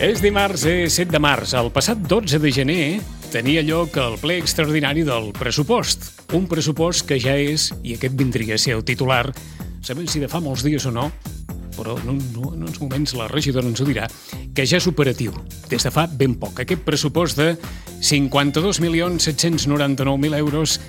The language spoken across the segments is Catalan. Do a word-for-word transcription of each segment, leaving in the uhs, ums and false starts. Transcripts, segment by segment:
És dimarts, és set de març. El passat dotze de gener tenia lloc el ple extraordinari del pressupost. Un pressupost que ja és, i aquest vindria a ser el titular, sabem si de fa molts dies o no, però en, un, en uns moments la regidora ens ho dirà, que ja és operatiu, des de fa ben poc. Aquest pressupost de cinquanta-dos milions set-cents noranta-nou mil euros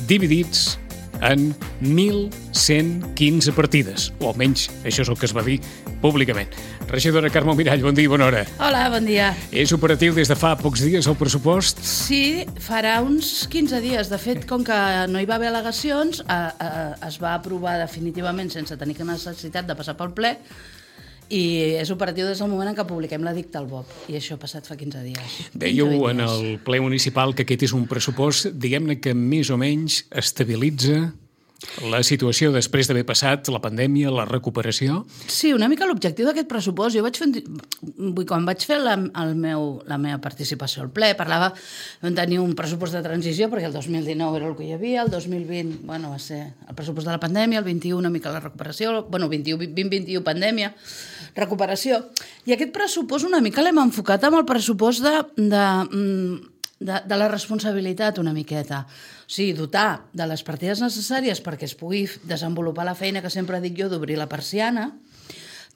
dividits en mil cent quinze partides, o almenys això és el que es va dir públicament. Regidora Carme Mirall, bon dia i bona hora. Hola, bon dia. És operatiu des de fa pocs dies el pressupost? Sí, farà uns quinze dies. De fet, com que no hi va haver al·legacions, eh, eh, es va aprovar definitivament sense tenir necessitat de passar pel ple, i és operatiu des del moment en què publiquem l'edicte al B O P, i això ha passat fa quinze dies. Dèieu en el ple municipal que aquest és un pressupost, diguem-ne que més o menys estabilitza la situació després d'haver passat la pandèmia, la recuperació? Sí, una mica l'objectiu d'aquest pressupost. Jo vaig fer, quan vaig fer la, el meu, la meva participació al ple, parlava de tenir un pressupost de transició, perquè el dos mil dinou era el que hi havia, el dos mil vint, bueno, va ser el pressupost de la pandèmia, el vint-i-u una mica la recuperació, bueno, vint-i-u, vint vint-i-u pandèmia, recuperació. I aquest pressupost una mica l'hem enfocat amb el pressupost de, de, de, de la responsabilitat una miqueta. O sigui, dotar de les partides necessàries perquè es pugui desenvolupar la feina que sempre dic jo d'obrir la persiana,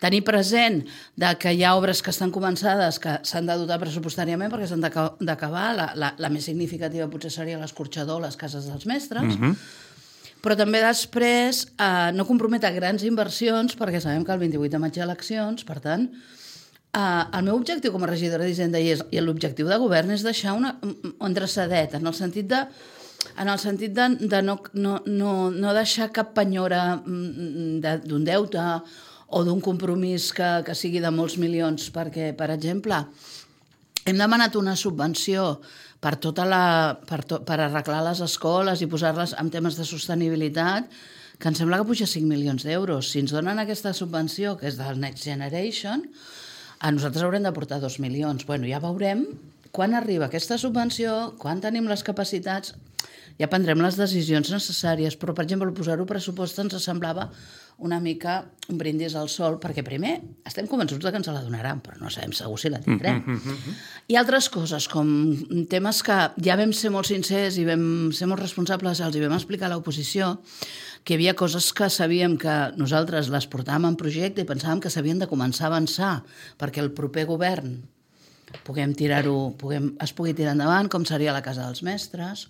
tenir present de que hi ha obres que estan començades que s'han de dotar pressupostàriament perquè s'han d'acabar. La, la, la més significativa potser seria l'escorxador, les cases dels mestres, mm-hmm. però també després eh, no comprometre grans inversions perquè sabem que el vint-i-vuit de maig hi ha eleccions, per tant, eh, el meu objectiu com a regidora d'Hisenda i, i l'objectiu de govern és deixar una, un dreçadet, en el sentit de en el sentit de, de no, no, no, no deixar cap penyora d'un deute o d'un compromís que, que sigui de molts milions, perquè, per exemple, hem demanat una subvenció per, tota la, per, to, per arreglar les escoles i posar-les en temes de sostenibilitat, que em sembla que puja cinc milions d'euros. Si ens donen aquesta subvenció, que és del Next Generation, a nosaltres haurem d'aportar dos milions. Bueno, ja veurem quan arriba aquesta subvenció, quan tenim les capacitats, ja prendrem les decisions necessàries, però, per exemple, posar-ho pressupost ens semblava una mica un brindis al sol, perquè primer estem convençuts que ens la donaran, però no sabem segur si la tindrem. Mm-hmm. I altres coses, com temes que ja vam ser molt sincers i vam ser molt responsables, els hi vam explicar a l'oposició, que hi havia coses que sabíem que nosaltres les portàvem en projecte i pensàvem que s'havien de començar a avançar perquè el proper govern puguem tirar-ho, puguem, es pugui tirar endavant, com seria la Casa dels Mestres,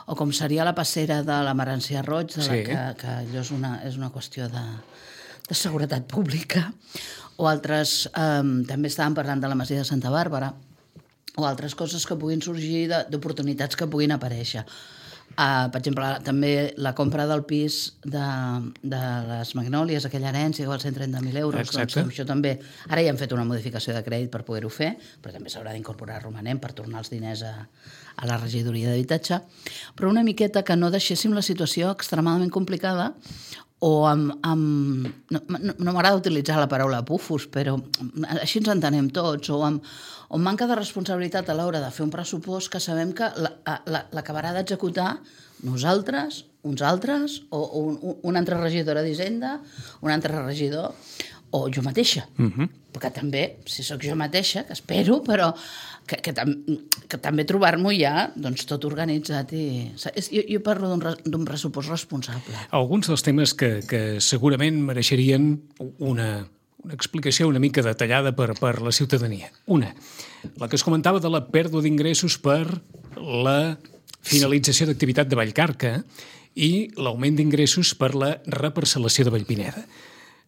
o com seria la passera de la Marancia Roig, de la sí. que, que allò és una, és una qüestió de, de seguretat pública, o altres, eh, també estàvem parlant de la Masia de Santa Bàrbara, o altres coses que puguin sorgir d'oportunitats que puguin aparèixer. Uh, per exemple, també la compra del pis de, de les Magnòlies, aquella herència que val cent trenta mil euros. Doncs, això també, ara ja hem fet una modificació de crèdit per poder-ho fer, però també s'haurà d'incorporar romanent per tornar els diners a, a la regidoria d'habitatge. Però una miqueta que no deixéssim la situació extremadament complicada o amb... amb no no, no m'agrada utilitzar la paraula pufos, però així ens entenem tots, o amb, o amb manca de responsabilitat a l'hora de fer un pressupost que sabem que l'acabarà d'executar nosaltres, uns altres, o, o un, una altra regidora d'Hisenda, un altre regidor, o jo mateixa. Mm-hmm. Perquè també, si sóc jo mateixa, que espero, però que, que, tam que també trobar-m'ho ja doncs, tot organitzat. I... Jo, jo parlo d'un pressupost responsable. Alguns dels temes que, que segurament mereixerien una... una explicació una mica detallada per, per la ciutadania. Una, la que es comentava de la pèrdua d'ingressos per la finalització d'activitat de Vallcarca i l'augment d'ingressos per la reparcel·lació de Vallpineda.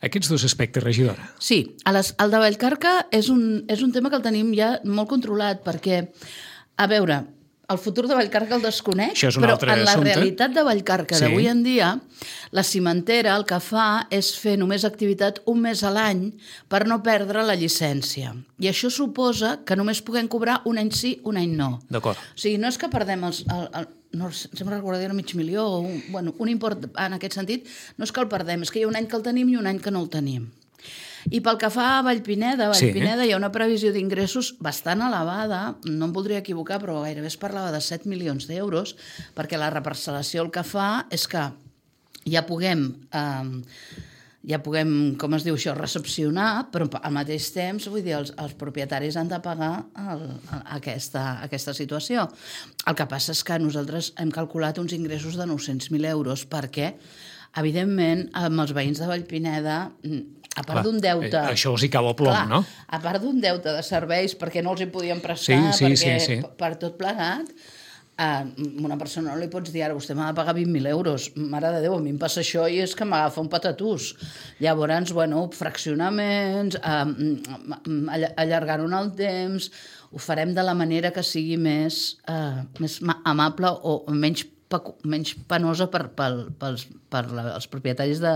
Aquests dos aspectes, regidora. Sí, a les, el de Vallcarca és un, és un tema que el tenim ja molt controlat, perquè, a veure, el futur de Vallcarca el desconeix, però en la assumpte. realitat de Vallcarca sí. d'avui en dia, la cimentera el que fa és fer només activitat un mes a l'any per no perdre la llicència. I això suposa que només puguem cobrar un any sí, un any no. D'acord. O sigui, no és que perdem els... El, el, no, sempre recordaria un mig milió o un, bueno, un import en aquest sentit, no és que el perdem, és que hi ha un any que el tenim i un any que no el tenim. I pel que fa a Vallpineda, a Vallpineda sí. hi ha una previsió d'ingressos bastant elevada, no em voldria equivocar, però gairebé es parlava de set milions d'euros, perquè la reparcel·lació el que fa és que ja puguem... Eh, ja puguem, com es diu això, recepcionar, però al mateix temps, vull dir, els, els propietaris han de pagar el, aquesta, aquesta situació. El que passa és que nosaltres hem calculat uns ingressos de nou-cents mil euros perquè, evidentment, amb els veïns de Vallpineda, a part d'un deute... Això els hi cau a plom, clar, no? A part d'un deute de serveis perquè no els hi podien prestar, sí, sí, perquè sí, sí. per tot plegat, a una persona no li pots dir ara vostè m'ha de pagar vint mil euros, mare de Déu, a mi em passa això i és que m'agafa un patatús. Llavors, bueno, fraccionaments, eh, allargar-ho en el temps, ho farem de la manera que sigui més, eh, més amable o menys, menys penosa per, per, per, per la, els propietaris de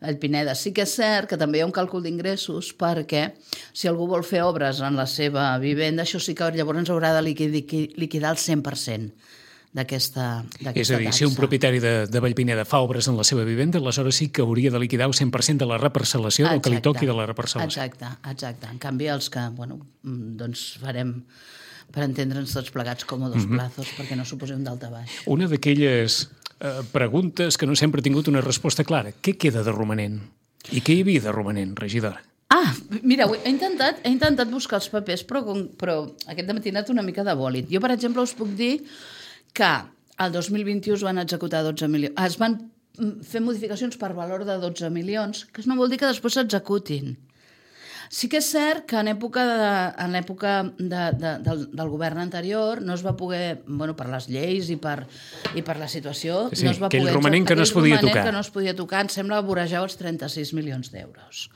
Vallpineda. Sí que és cert que també hi ha un càlcul d'ingressos perquè si algú vol fer obres en la seva vivenda, això sí que llavors haurà de liquidar el cent per cent d'aquesta taxa. És a dir, si un propietari de, de Vallpineda fa obres en la seva vivenda, aleshores sí que hauria de liquidar el cent per cent de la reparcel·lació, del que li toqui de la reparcel·lació. Exacte, exacte. En canvi, els que, bueno, doncs farem per entendre'ns tots plegats com a dos plazos, mm-hmm. perquè no suposem d'alta baix. Una d'aquelles eh, preguntes que no sempre ha tingut una resposta clara. Què queda de romanent? I què hi havia de romanent, regidora? Ah, mira, he intentat, he intentat buscar els papers, però, però aquest matí ha anat una mica de bòlit. Jo, per exemple, us puc dir que el dos mil vint-i-u es van executar dotze milions. Es van fer modificacions per valor de dotze milions, que no vol dir que després s'executin. Sí que és cert que en època, de, en època de, de, del, del govern anterior no es va poder, bueno, per les lleis i per, i per la situació, sí, no es va aquell poder... romanent que no es podia tocar. que no es podia tocar, em sembla que vorejava els trenta-sis milions d'euros.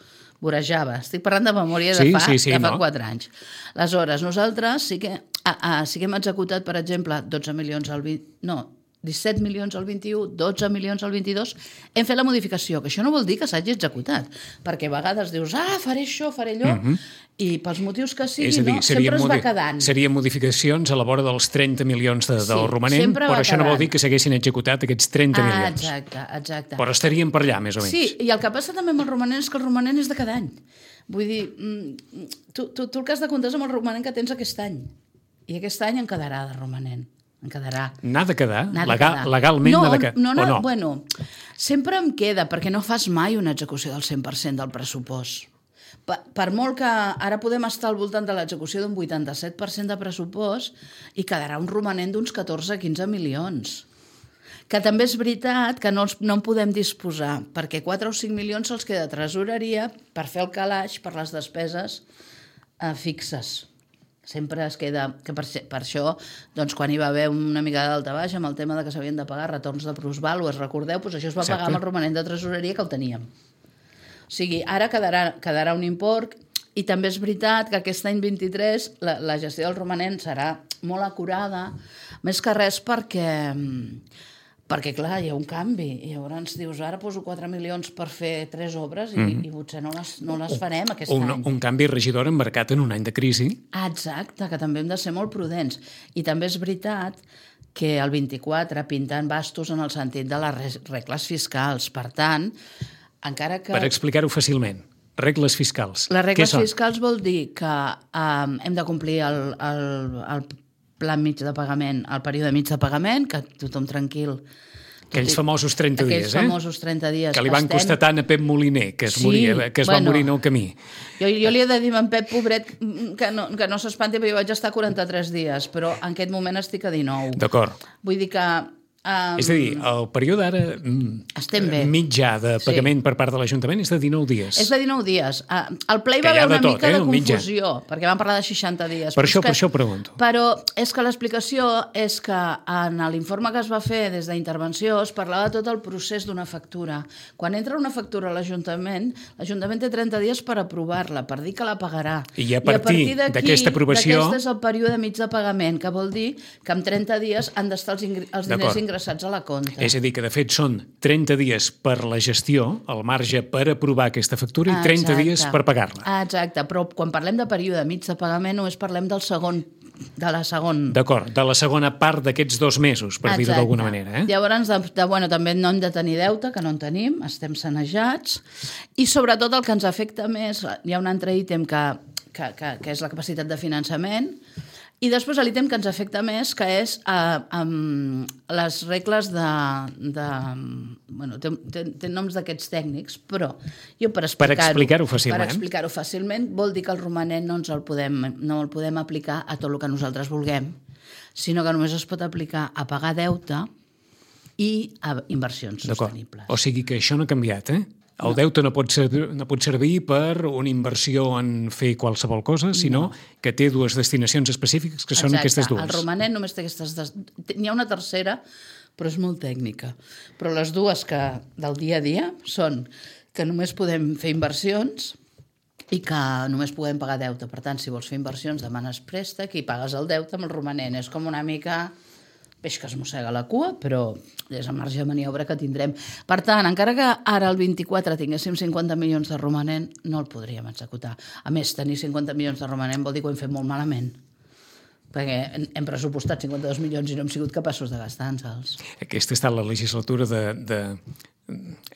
Vorejava. Estic parlant de memòria de sí, fa, sí, sí, de fa no? quatre anys. Aleshores, nosaltres sí que, ah, ah, sí que hem executat, per exemple, dotze milions al vint... No, disset milions al vint-i-u, dotze milions al vint-i-dos, hem fet la modificació, que això no vol dir que s'hagi executat, perquè a vegades dius, ah, faré això, faré allò, uh-huh. i pels motius que sigui, dir, no, sempre es va quedant. Serien modificacions a la vora dels trenta milions de, del sí, romanent, però això quedant. No vol dir que s'haguessin executat aquests trenta ah, milions. Exacte, exacte. Però estaríem per allà, més o menys. Sí, i el que passa també amb el romanent és que el romanent és de cada any. Vull dir, tu, tu, tu el que has de comptar és amb el romanent que tens aquest any, i aquest any en quedarà de romanent. En quedarà. N'ha de quedar? Legal, quedar. Legalment no, n'ha de quedar? No, no, o no? Bueno, sempre em queda, perquè no fas mai una execució del cent per cent del pressupost. Per, per molt que ara podem estar al voltant de l'execució d'un vuitanta-set per cent de pressupost i quedarà un romanent d'uns catorze a quinze milions. Que també és veritat que no, els, no en podem disposar, perquè quatre o cinc milions se'ls queda a tresoreria per fer el calaix per les despeses eh, fixes. Sempre es queda... que per, per això, doncs, quan hi va haver una mica d'alta baixa amb el tema de que s'havien de pagar retorns de plusvàlues, recordeu, doncs això es va Exacte. Pagar amb el romanent de tresoreria que el teníem. O sigui, ara quedarà, quedarà un import i també és veritat que aquest any vint-i-tres la, la gestió del romanent serà molt acurada, més que res perquè... perquè, clar, hi ha un canvi. I llavors dius, ara poso quatre milions per fer tres obres i, mm. i potser no les, no les farem aquest un, any. Un canvi, regidor, embarcat en un any de crisi. Exacte, que també hem de ser molt prudents. I també és veritat que el vint-i-quatre pinten bastos en el sentit de les regles fiscals. Per tant, encara que... Per explicar-ho fàcilment, regles fiscals. Les regles fiscals vol dir que um, hem de complir el... el, el pla mig de pagament, el període mig de pagament, que tothom tranquil. Aquells famosos trenta dies, eh? Aquells famosos trenta dies. Que li van estem... costar tant a Pep Moliner, que es, sí, moria, que es bueno, va morir en el camí. Jo, jo li he de dir a en Pep, pobret, que no, que no s'espanti, perquè jo vaig estar quaranta-tres dies, però en aquest moment estic a dinou. D'acord. Vull dir que... Um, és a dir, el període ara mitjà de pagament sí. per part de l'Ajuntament és de dinou dies. És de dinou dies. Uh, el ple hi va haver una tot, mica eh, de confusió, mitjà. Perquè van parlar de seixanta dies. Per això, que, per això pregunto. Però és que l'explicació és que en l'informe que es va fer des d'intervenció es parlava de tot el procés d'una factura. Quan entra una factura a l'Ajuntament, l'Ajuntament té trenta dies per aprovar-la, per dir que la pagarà. I a partir, I a partir d'aquesta aprovació... D'aquest és el període mig de pagament, que vol dir que en trenta dies han d'estar els, ingr... els diners ingressats ingressats a la compta. És a dir, que de fet són trenta dies per la gestió, el marge per aprovar aquesta factura, i trenta Exacte. Dies per pagar-la. Exacte, però quan parlem de període mig de pagament només parlem del segon, de la segon... D'acord, de la segona part d'aquests dos mesos, per dir-ho d'alguna manera. Eh? Llavors, de, de, bueno, també no hem de tenir deute, que no en tenim, estem sanejats, i sobretot el que ens afecta més, hi ha un altre ítem que, que, que, que és la capacitat de finançament, I després l'ítem que ens afecta més, que és eh, um, les regles de... de bueno, té, té, té noms d'aquests tècnics, però jo per explicar-ho... Per explicar-ho fàcilment. Per explicar-ho fàcilment vol dir que el romanent no ens el podem, no el podem aplicar a tot el que nosaltres vulguem, sinó que només es pot aplicar a pagar deute i a inversions sostenibles. O sigui que això no ha canviat, eh? El deute no pot, servir, no pot servir per una inversió en fer qualsevol cosa, sinó no. que té dues destinacions específiques, que són Exacte. aquestes dues. El romanent només té aquestes... Des... N'hi ha una tercera, però és molt tècnica. Però les dues que del dia a dia són que només podem fer inversions i que només podem pagar deute. Per tant, si vols fer inversions, demanes préstec i pagues el deute amb el romanent. És com una mica... peix que es mossega la cua, però és el marge de maniobra que tindrem. Per tant, encara que ara el vint-i-quatre tinguéssim cinquanta milions de romanent, no el podríem executar. A més, tenir cinquanta milions de romanent vol dir que ho hem fet molt malament, perquè hem pressupostat cinquanta-dos milions i no hem sigut capaços de gastar-nos-els. Aquesta ha estat la legislatura de... de...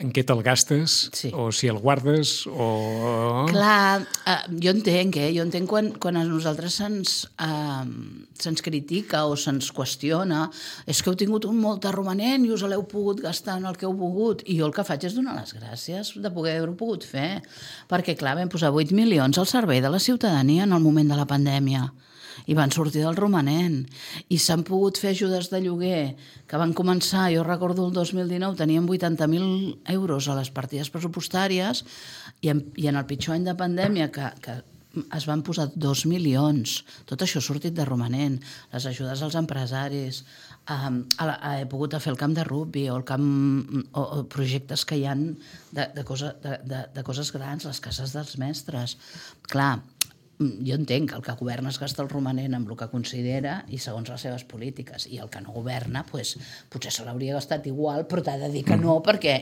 en què te'l gastes, sí. o si el guardes, o... Clar, eh, jo entenc, eh? Jo entenc quan, quan a nosaltres se'ns eh, se'ns critica o se'ns qüestiona, és que heu tingut un molt de romanent i us l'heu pogut gastar en el que heu volgut, i jo el que faig és donar les gràcies de poder haver-ho pogut fer, perquè clar, vam posar vuit milions al servei de la ciutadania en el moment de la pandèmia, i van sortir del romanent, i s'han pogut fer ajudes de lloguer que van començar, jo recordo el dos mil dinou teníem vuitanta mil euros a les partides pressupostàries i en, i en el pitjor any de pandèmia que, que es van posar dos milions, tot això ha sortit de romanent, les ajudes als empresaris, eh, he pogut fer el camp de rugby o, el camp, o, o projectes que hi ha de, de, cosa, de, de, de coses grans, les cases dels mestres. Clar, jo entenc que el que governa es gasta el romanent amb el que considera i segons les seves polítiques, i el que no governa pues, potser se l'hauria gastat igual, però t'ha de dir que no, perquè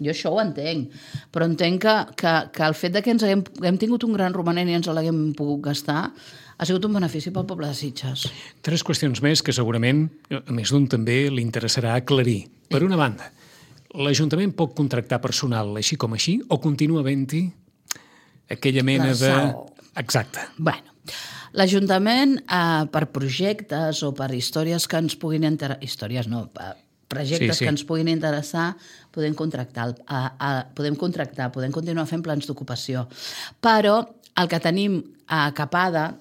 jo això ho entenc, però entenc que, que, que el fet de que ens haguem, hem tingut un gran romanent i ens l'haguem pogut gastar ha sigut un benefici pel poble de Sitges. Tres qüestions més que segurament a més d'un també li interessarà aclarir. Per una banda, l'Ajuntament pot contractar personal així com així o continua havent-hi aquella mena de... Exacte. Bueno, l'Ajuntament, eh, per projectes o per històries que ens puguin interessar... Històries no, projectes sí, sí. que ens puguin interessar, podem contractar, a, a, podem contractar, podem continuar fent plans d'ocupació. Però el que tenim a capada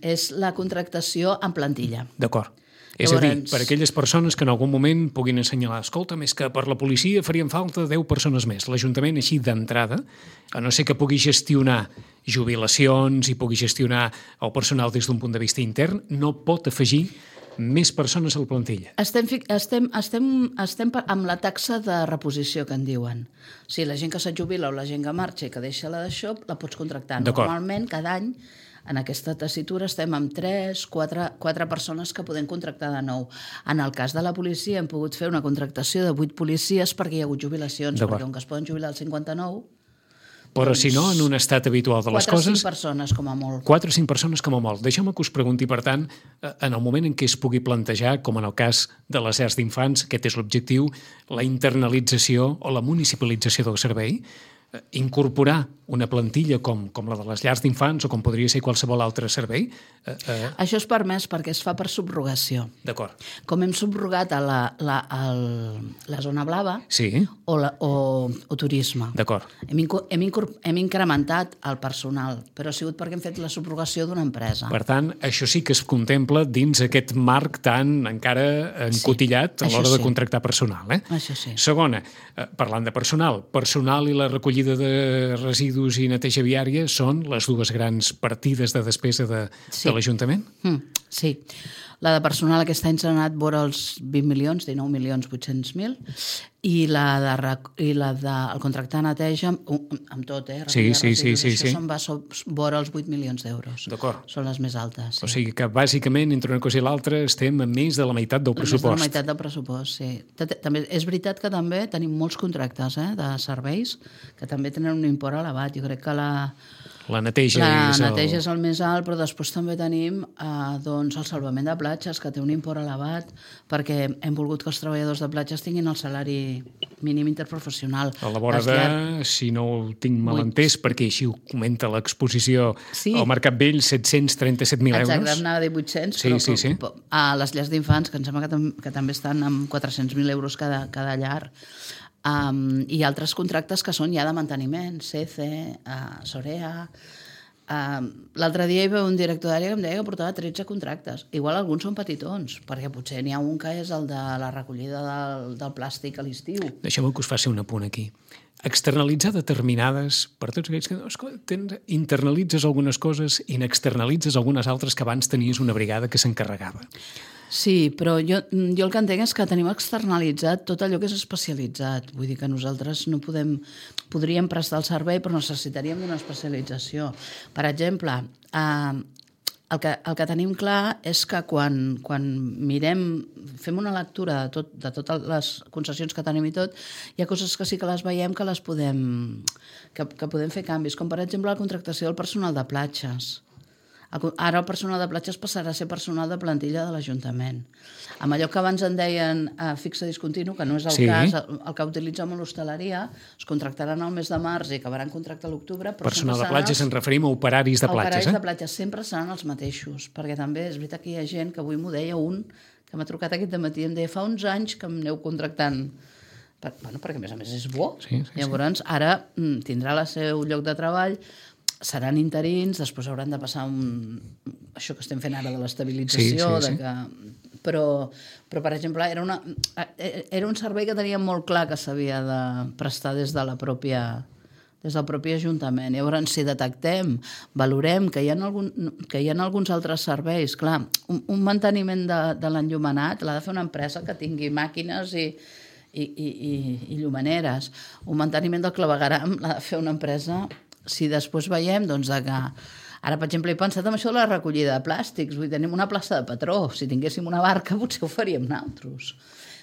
és la contractació en plantilla. D'acord. És a dir, per aquelles persones que en algun moment puguin assenyalar, escolta, més que per la policia farien falta deu persones més. L'Ajuntament, així d'entrada, a no ser que pugui gestionar jubilacions i pugui gestionar el personal des d'un punt de vista intern, no pot afegir més persones a la plantilla. Estem, estem, estem, estem amb la taxa de reposició que en diuen. O sigui, la gent que se't jubila o la gent que marxa i que deixa la d'això, la pots contractar. Normalment, cada any, en aquesta tessitura estem amb tres, quatre, quatre persones que podem contractar de nou. En el cas de la policia hem pogut fer una contractació de vuit policies perquè hi ha hagut jubilacions, perquè com que es poden jubilar al cinquanta-nou... Però doncs, si no, en un estat habitual de les coses... quatre o cinc persones, com a molt. quatre o cinc persones, com a molt. Deixeu-me que us pregunti, per tant, en el moment en què es pugui plantejar, com en el cas de les llars d'infants, aquest és l'objectiu, la internalització o la municipalització del servei, incorporar una plantilla com, com la de les llars d'infants o com podria ser qualsevol altre servei? Eh, eh... Això és permès perquè es fa per subrogació. D'acord. Com hem subrogat a la, la, el, la zona blava sí. o, la, o, o turisme. D'acord. Hem, hem, hem incrementat el personal, però ha sigut perquè hem fet la subrogació d'una empresa. Per tant, això sí que es contempla dins aquest marc tan encara encotillat sí, a l'hora sí. de contractar personal. Eh? Això sí. Segona, eh, parlant de personal, personal i la recollida de residus i neteja viària són les dues grans partides de despesa de, sí. de l'Ajuntament? Mm, sí. La de personal aquest any s'ha anat vora els vint milions, dinou milions vuit-cents mil, i la de, i la de el contracte de neteja, amb tot, eh? Sí, sí, sí, sí, això sí. se'n va vora els vuit milions d'euros. D'acord. Són les més altes. Sí. O sigui que, bàsicament, entre una cosa i l'altra, estem a més de la meitat del pressupost. Més de la meitat del pressupost, sí. També, és veritat que també tenim molts contractes eh, de serveis que també tenen un import elevat. Jo crec que la... La neteja, la és, el... neteja és el més alt, però després també tenim eh, doncs el salvament de platges, que té un import elevat, perquè hem volgut que els treballadors de platges tinguin el salari mínim interprofessional. A la vora de, llar... si no ho tinc mal entès, perquè així ho comenta l'exposició, sí. al Mercat Vell, set-cents trenta-set mil euros. Exacte, anava a dir vuit-cents, sí, però, sí, sí. però a les llars d'infants, que em sembla que, tam que també estan amb quatre-cents mil euros cada, cada llar, Um, i altres contractes que són ja de manteniment, C C, uh, Sorea. Uh, L'altre dia hi va un director d'àrea que em deia que portava tretze contractes. Igual alguns són petitons, perquè potser n'hi ha un que és el de la recollida del, del plàstic a l'estiu. Deixeu-me que us faci un apunt aquí. Externalitzar determinades, per tots aquells que tens, internalitzes algunes coses i n'externalitzes algunes altres que abans tenies una brigada que s'encarregava. Sí, però jo, jo el que entenc és que tenim externalitzat tot allò que és especialitzat. Vull dir que nosaltres no podem... Podríem prestar el servei, però necessitaríem una especialització. Per exemple, eh, el, que, el que tenim clar és que quan, quan mirem, fem una lectura de, tot, de totes les concessions que tenim i tot, hi ha coses que sí que les veiem que les podem, que, que podem fer canvis, com per exemple la contractació del personal de platges. Ara el personal de platges passarà a ser personal de plantilla de l'Ajuntament. Amb allò que abans en deien eh, fixe discontinu, que no és el sí. cas, el, el que utilitza molt l'hostaleria, es contractaran al mes de març i acabaran contracte a l'octubre. Personal de platges, ens referim a operaris de platges. Operaris eh? de platges sempre seran els mateixos, perquè també és veritat que hi ha gent, que avui m'ho deia un, que m'ha trucat aquest dematí, em deia, fa uns anys que em aneu contractant, per, bueno, perquè a més a més és bo. Sí, sí, Llavors, sí. ara mm, tindrà el seu lloc de treball, seran interins, després hauran de passar un... això que estem fent ara de l'estabilització, sí, sí, sí. de que... però, però, per exemple, era, una... era un servei que teníem molt clar que s'havia de prestar des de la pròpia des del propi Ajuntament. Llavors, si detectem, valorem que hi ha, algun, que hi ha alguns altres serveis, clar, un, un manteniment de, de l'enllumenat l'ha de fer una empresa que tingui màquines i, i, i, i, i llumaneres. Un manteniment del clavegueram l'ha de fer una empresa. Si després veiem doncs, que... Ara, per exemple, he pensat en això de la recollida de plàstics. Vull dir, tenim una plaça de patró. Si tinguéssim una barca, potser ho faríem nosaltres.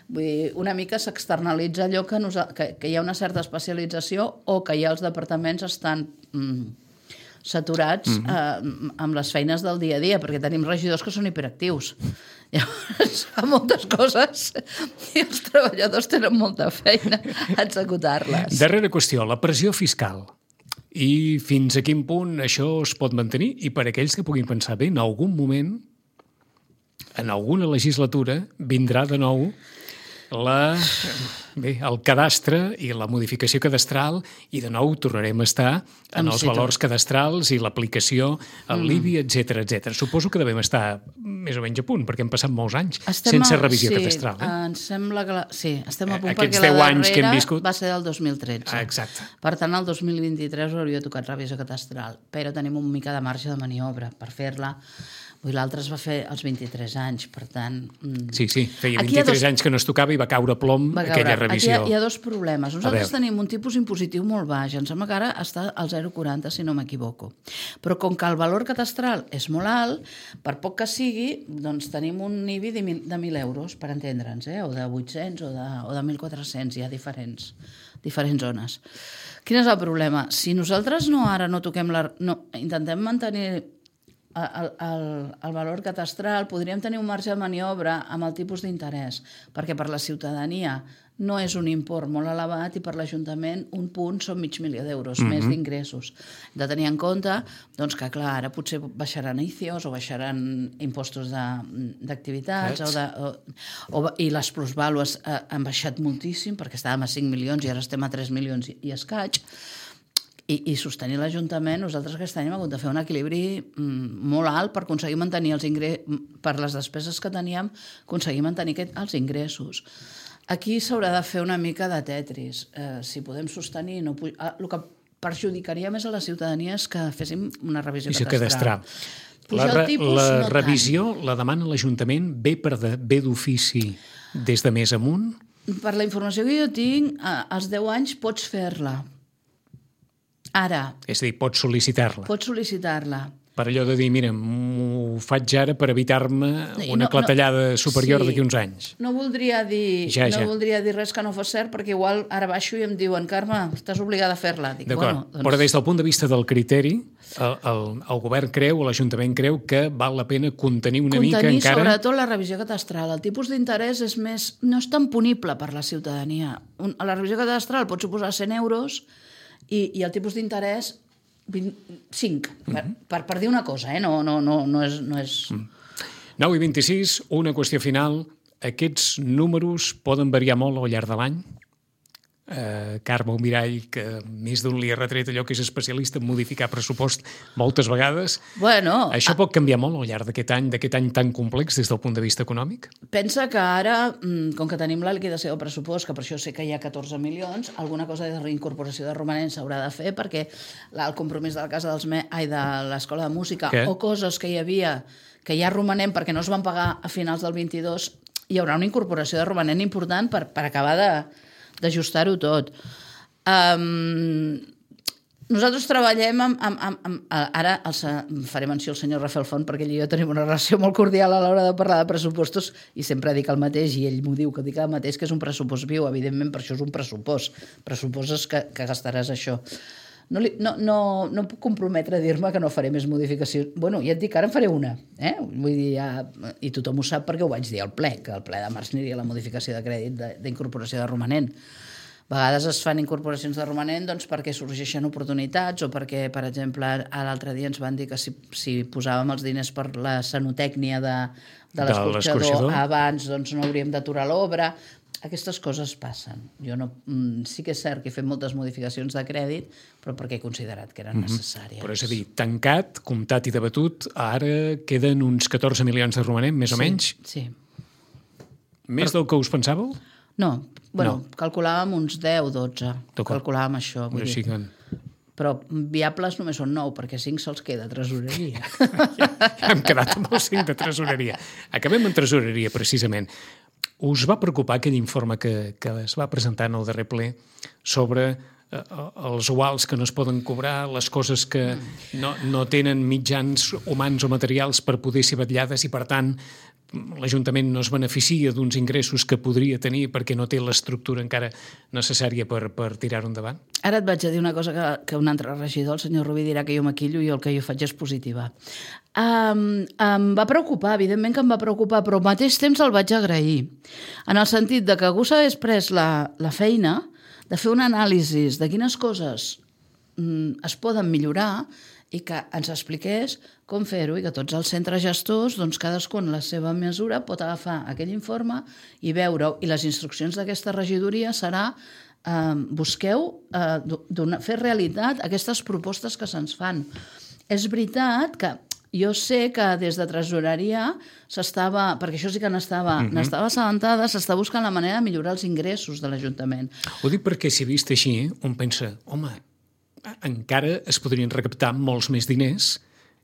Vull dir, una mica s'externalitza allò que, nos... que, que hi ha una certa especialització o que ja els departaments estan mm, saturats mm-hmm. eh, amb les feines del dia a dia, perquè tenim regidors que són hiperactius. Llavors, fa moltes coses i els treballadors tenen molta feina a executar-les. Darrera qüestió, la pressió fiscal. I fins a quin punt això es pot mantenir? I per aquells que puguin pensar bé, en algun moment, en alguna legislatura, vindrà de nou la, bé, el cadastre i la modificació cadastral i de nou tornarem a estar en els valors cadastrals i l'aplicació al l'I B I, etcètera, etcètera. Suposo que devem estar més o menys a punt, perquè hem passat molts anys estem sense a... revisió sí, cadastral. Eh? Ens sembla que... La... Sí, estem a punt Aquests perquè la anys que hem viscut... va ser del dos mil tretze. Ah, exacte. Per tant, el dos mil vint-i-tres hauria tocat revisió cadastral, però tenim un mica de marge de maniobra per fer-la. L'altre es va fer als vint-i-tres anys, per tant... Sí, sí, feia vint-i-tres dos... anys que no es tocava i va caure plom va caure. aquella revisió. Aquí hi ha, hi ha dos problemes. Nosaltres tenim un tipus impositiu molt baix, em sembla que ara està al zero coma quaranta, si no m'equivoco. Però com que el valor cadastral és molt alt, per poc que sigui, doncs tenim un I B I de, de mil euros, per entendre'ns, eh? o de vuit-cents o de, o de mil quatre-cents, hi ha diferents, diferents zones. Quin és el problema? Si nosaltres no ara no toquem la... No, intentem mantenir... El, el, el valor catastral, podríem tenir un marge de maniobra amb el tipus d'interès, perquè per la ciutadania no és un import molt elevat i per l'Ajuntament un punt són mig milió d'euros, mm-hmm. més d'ingressos. Hem de tenir en compte doncs, que, clar, ara potser baixaran I C I Os o baixaran impostos d'activitats o de, o, o, i les plusvàlues eh, han baixat moltíssim perquè estàvem a cinc milions i ara estem a tres milions i, i escaig. I, i sostenir l'Ajuntament, nosaltres aquest any hem hagut de fer un equilibri mm, molt alt per aconseguir mantenir els ingressos, per les despeses que teníem, aconseguir mantenir aquest, els ingressos. Aquí s'haurà de fer una mica de tetris. Eh, si podem sostenir... No, eh, el que perjudicaria més a la ciutadania és que féssim una revisió cadastral. La, re, tipus, la no revisió tant. La demana l'Ajuntament ve, per de, ve d'ofici des de més amunt? Per la informació que jo tinc, als deu anys pots fer-la. Ara... És a dir, pots sol·licitar-la. Pots sol·licitar-la. per allò de dir, mira, m'ho faig ara per evitar-me una no, clatellada no, superior sí, d'aquí uns anys. No voldria dir ja, no ja. voldria dir res que no fos cert, perquè igual ara baixo i em diuen, Carme, estàs obligada a fer-la. Dic, D'acord, bueno, doncs... però des del punt de vista del criteri, el, el, el govern creu, o l'Ajuntament creu que val la pena contenir una contenir, mica encara... Contenir sobretot la revisió catastral. El tipus d'interès és més... no és tan punible per la ciutadania. Un, a la revisió catastral pot suposar cent euros i, i el tipus d'interès cinc, per, uh -huh. per, per dir una cosa, eh? no, no, no, no és... No és... Mm. nou i vint-i-sis, una qüestió final. Aquests números poden variar molt al llarg de l'any? Uh, Carme Almirall, que més d'un li ha retret allò que és especialista en modificar pressupost moltes vegades. Bueno, Això pot canviar molt al llarg d'aquest any, d'aquest any tan complex des del punt de vista econòmic? Pensa que ara, com que tenim la liquidació del pressupost, que per això sé que hi ha catorze milions, alguna cosa de reincorporació de romanents s'haurà de fer, perquè el compromís de la casa dels me... ai, de l'Escola de Música, Què? o coses que hi havia que hi ha romanent perquè no es van pagar a finals del vint-i-dos, hi haurà una incorporació de romanent important per, per acabar de d'ajustar-ho tot. Um, nosaltres treballem amb... amb, amb, amb ara els, faré menció al senyor Rafael Font, perquè ell i jo tenim una relació molt cordial a l'hora de parlar de pressupostos i sempre dic el mateix, i ell m'ho diu, que dic el mateix, que és un pressupost viu. Evidentment, per això és un pressupost. Pressupost és que, que gastaràs això. No, li, no, no, no puc comprometre a dir-me que no faré més modificacions. Bueno, ja et dic que ara en faré una. Eh? Vull dir, ja, i tothom ho sap perquè ho vaig dir al ple, que al ple de març aniria la modificació de crèdit d'incorporació de, de romanent. A vegades es fan incorporacions de romanent doncs, perquè sorgeixen oportunitats o perquè, per exemple, l'altre dia ens van dir que si, si posàvem els diners per la sanotècnia de, de l'escorxador abans doncs, no hauríem d'aturar l'obra. Aquestes coses passen. Jo no, sí que és cert que he fet moltes modificacions de crèdit, però perquè he considerat que eren mm-hmm. necessàries. Però és a dir, tancat, comptat i debatut, ara queden uns catorze milions de romanent, més sí, o menys? Sí. Més però... del que us pensàveu? No, bueno, no. calculàvem uns deu o dotze. Calculàvem això. Vull dir. Que... Però viables només són nou, perquè cinc se'ls queda a tresoreria. ja, ja hem quedat amb els cinc de tresoreria. Acabem en tresoreria, precisament. Us va preocupar aquell informe que, que es va presentar en el darrer ple sobre eh, els uals que no es poden cobrar, les coses que no, no tenen mitjans humans o materials per poder ser vetllades i, per tant, l'Ajuntament no es beneficia d'uns ingressos que podria tenir perquè no té l'estructura encara necessària per, per tirar-ho endavant? Ara et vaig a dir una cosa que, que un altre regidor, el senyor Rubí, dirà que jo maquillo i el que jo faig és positiva. Um, em va preocupar, evidentment que em va preocupar, però al mateix temps el vaig agrair. En el sentit de que algú s'hagués pres la, la feina de fer un anàlisi de quines coses mm, es poden millorar i que ens expliqués com fer-ho i que tots els centres gestors, doncs cadascun en la seva mesura pot agafar aquell informe i veure-ho. I les instruccions d'aquesta regidoria serà eh, busqueu eh, donar, fer realitat aquestes propostes que se'ns fan. És veritat que jo sé que des de tresoreria s'estava, perquè això sí que n'estava mm-hmm. n'estava assabentada, s'està buscant la manera de millorar els ingressos de l'Ajuntament. Ho dic perquè si vist així, un pensa, home, encara es podrien recaptar molts més diners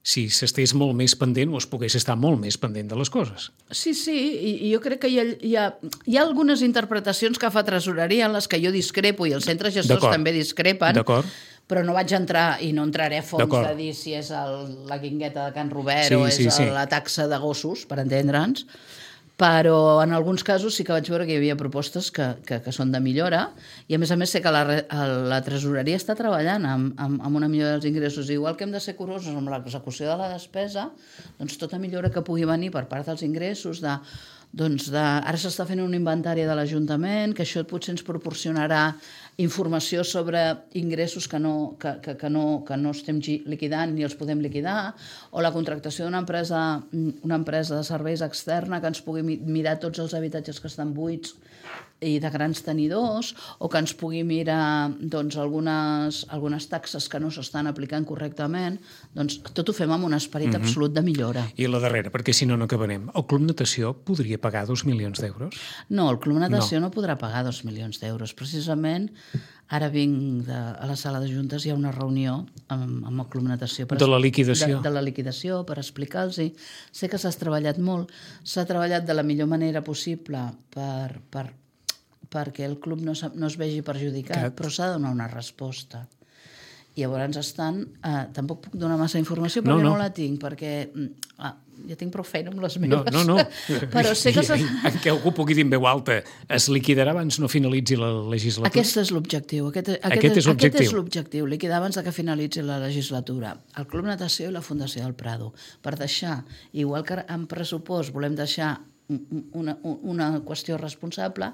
si s'estés molt més pendent o es pogués estar molt més pendent de les coses. Sí, sí, i, i jo crec que hi ha, hi, ha, hi ha algunes interpretacions que fa tresoreria en les que jo discrepo i els centres gestors també discrepen, però no vaig entrar i no entraré a fons de dir si és el, la guingueta de Can Robert sí, o és sí, sí. la taxa de gossos, per entendre'ns, però en alguns casos sí que vaig veure que hi havia propostes que, que, que són de millora i a més a més sé que la, la tresoreria està treballant amb, amb, amb una millora dels ingressos. Igual que hem de ser curosos amb l'execució de la despesa, doncs tota millora que pugui venir per part dels ingressos, de, doncs de, ara s'està fent un inventari de l'Ajuntament, que això potser ens proporcionarà informació sobre ingressos que no, que, que, que no, que no estem liquidant ni els podem liquidar, o la contractació d'una empresa, una empresa de serveis externa que ens pugui mirar tots els habitatges que estan buits i de grans tenidors, o que ens pugui mirar doncs, algunes, algunes taxes que no s'estan aplicant correctament. Doncs tot ho fem amb un esperit mm-hmm. absolut de millora. I la darrera, perquè si no, no acabarem. El Club Natació podria pagar dos milions d'euros? No, el Club Natació no, no podrà pagar dos milions d'euros. Precisament, ara vinc de, a la sala de juntes, hi ha una reunió amb, amb el Club Natació. Per de la liquidació. De, de la liquidació, per explicar-los. Sé que s'ha treballat molt, s'ha treballat de la millor manera possible per... per perquè el club no, no es vegi perjudicat, Cat. Però s'ha de donar una resposta. I llavors estan... Eh, tampoc puc donar massa informació perquè no, no. no la tinc, perquè ah, ja tinc prou feina amb les meves. No, no, no. Però sé que... I, en què algú pugui dir en veu alta, es liquidarà abans no finalitzi la legislatura? Aquest és l'objectiu. Aquest, aquest, aquest és l'objectiu. Aquest és l'objectiu, liquidar abans de que finalitzi la legislatura. El Club Natació i la Fundació del Prado. Per deixar, igual que en pressupost volem deixar una, una qüestió responsable,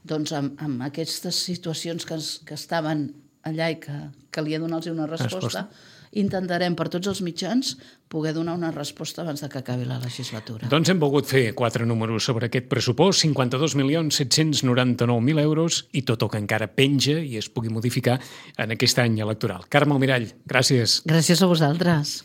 doncs amb, amb aquestes situacions que, es, que estaven allà i que calia donar-los una resposta, resposta, intentarem per tots els mitjans poder donar una resposta abans de que acabi la legislatura. Doncs hem volgut fer quatre números sobre aquest pressupost, cinquanta-dos milions set-cents noranta-nou mil euros i tot el que encara penja i es pugui modificar en aquest any electoral. Carme Almirall, gràcies. Gràcies a vosaltres.